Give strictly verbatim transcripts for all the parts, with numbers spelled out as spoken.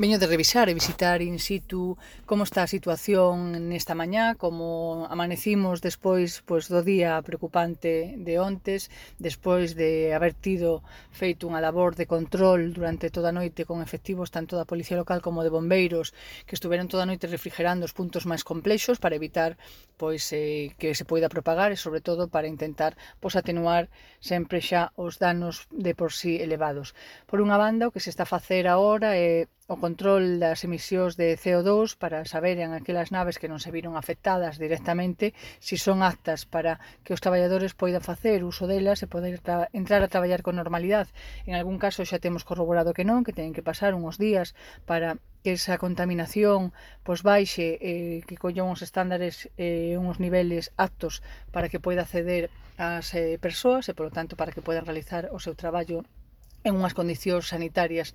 Veño de revisar e visitar in situ como está a situación nesta mañá, como amanecimos despois pois, do día preocupante de ontes, despois de haber tido feito unha labor de control durante toda a noite con efectivos tanto da Policía Local como de bombeiros que estuveron toda a noite refrigerando os puntos máis complexos para evitar pois eh, que se poida propagar e sobre todo para intentar pois, atenuar sempre xa os danos de por sí elevados. Por unha banda, o que se está a facer agora é o control das emisións de C O dous para saber en aquelas naves que non se viron afectadas directamente si son aptas para que os traballadores poidan facer uso delas e poder entrar a traballar con normalidade. En algún caso xa temos corroborado que non, que teñen que pasar unhos días para que esa contaminación pois baixe, eh, que collan uns estándares e eh, uns niveles aptos para que poida acceder ás eh, persoas e, polo tanto, para que poidan realizar o seu traballo en unhas condicións sanitarias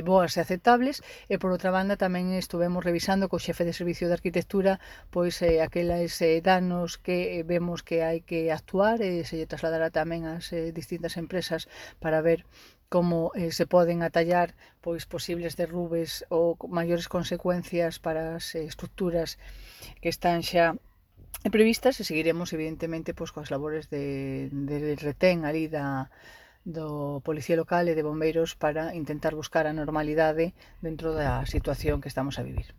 boas e aceptables e por outra banda tamén estuvemos revisando co xefe de servicio de arquitectura pois eh, aqueles eh, danos que vemos que hai que actuar e se lle trasladará tamén ás eh, distintas empresas para ver como eh, se poden atallar pois posibles derrubes ou maiores consecuencias para as eh, estructuras que están xa previstas e seguiremos evidentemente pois, coas labores de, de retén ali da do Policía Local e de bombeiros para intentar buscar a normalidade dentro da situación que estamos a vivir.